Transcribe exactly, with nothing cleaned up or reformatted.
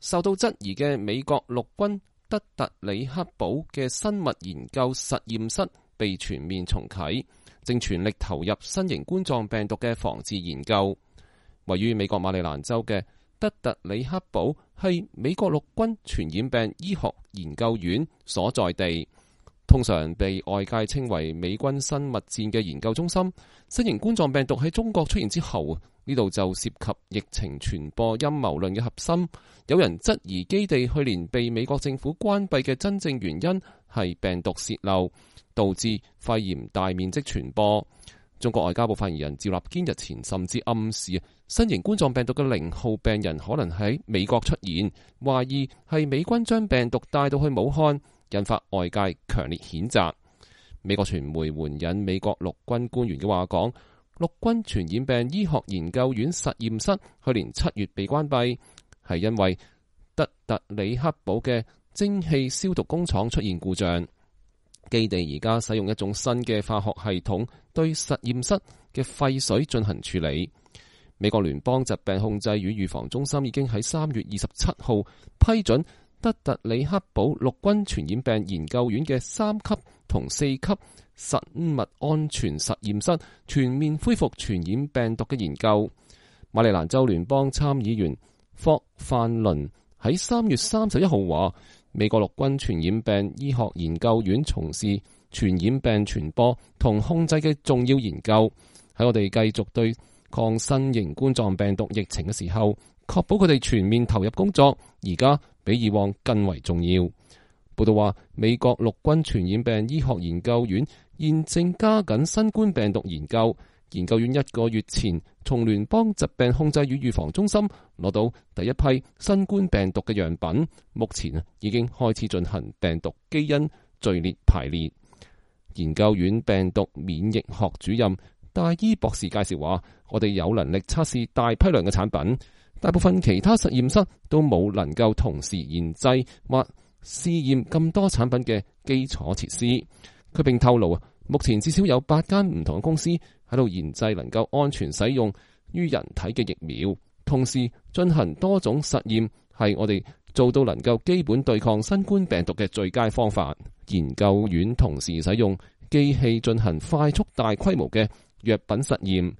受到質疑嘅美國陸軍德特里克堡嘅生物研究實驗室被全面重啟，正全力投入新型冠狀病毒嘅防治研究。位於美國馬里蘭州嘅德特里克堡係美國陸軍傳染病醫學研究院所在地，通常被外界稱為美軍生物戰嘅研究中心。新型冠狀病毒喺中國出現之後，呢度就涉及疫情傳播陰謀論嘅核心。有人質疑基地去年被美國政府關閉嘅真正原因係病毒洩漏，導致肺炎大面積傳播。中國外交部發言人趙立堅日前甚至暗示，新型冠狀病毒嘅零號病人可能喺美國出現，懷疑係美軍將病毒帶到去武漢，引發外界強烈譴責。美國傳媒援引美國陸軍官員嘅話講，陸軍傳染病醫學研究院實驗室去年七月被關閉，係因為德特里克堡嘅蒸汽消毒工廠出現故障。基地而家使用一種新嘅化學系統對實驗室嘅廢水進行處理。美國聯邦疾病控制與預防中心已經喺三月二十七號批准德特里克堡陸軍傳染病研究院嘅三級同四級生物安全實驗室全面恢復傳染病毒嘅研究。馬里蘭州聯邦參議員霍范倫喺三月三十一號話，美國陸軍傳染病醫學研究院從事傳染病傳播同控制嘅重要研究，喺我哋繼續對抗新型冠狀病毒疫情嘅時候，確保佢哋全面投入工作，而家比以往更為重要。報道話，美國陸軍傳染病醫學研究院現正加緊新冠病毒研究。研究院一個月前從聯邦疾病控制與預防中心攞到第一批新冠病毒嘅樣本，目前已經開始進行病毒基因序列排列。研究院病毒免疫學主任戴伊博士介紹話，我哋有能力測試大批量嘅產品，大部分其他實驗室都冇能夠同時研製或試驗咁多產品嘅基礎設施。佢並透露，目前至少有八間唔同嘅公司喺度研製能夠安全使用於人體嘅疫苗，同時進行多種實驗，係我哋做到能夠基本對抗新冠病毒嘅最佳方法。研究院同時使用機器進行快速大規模嘅藥品實驗，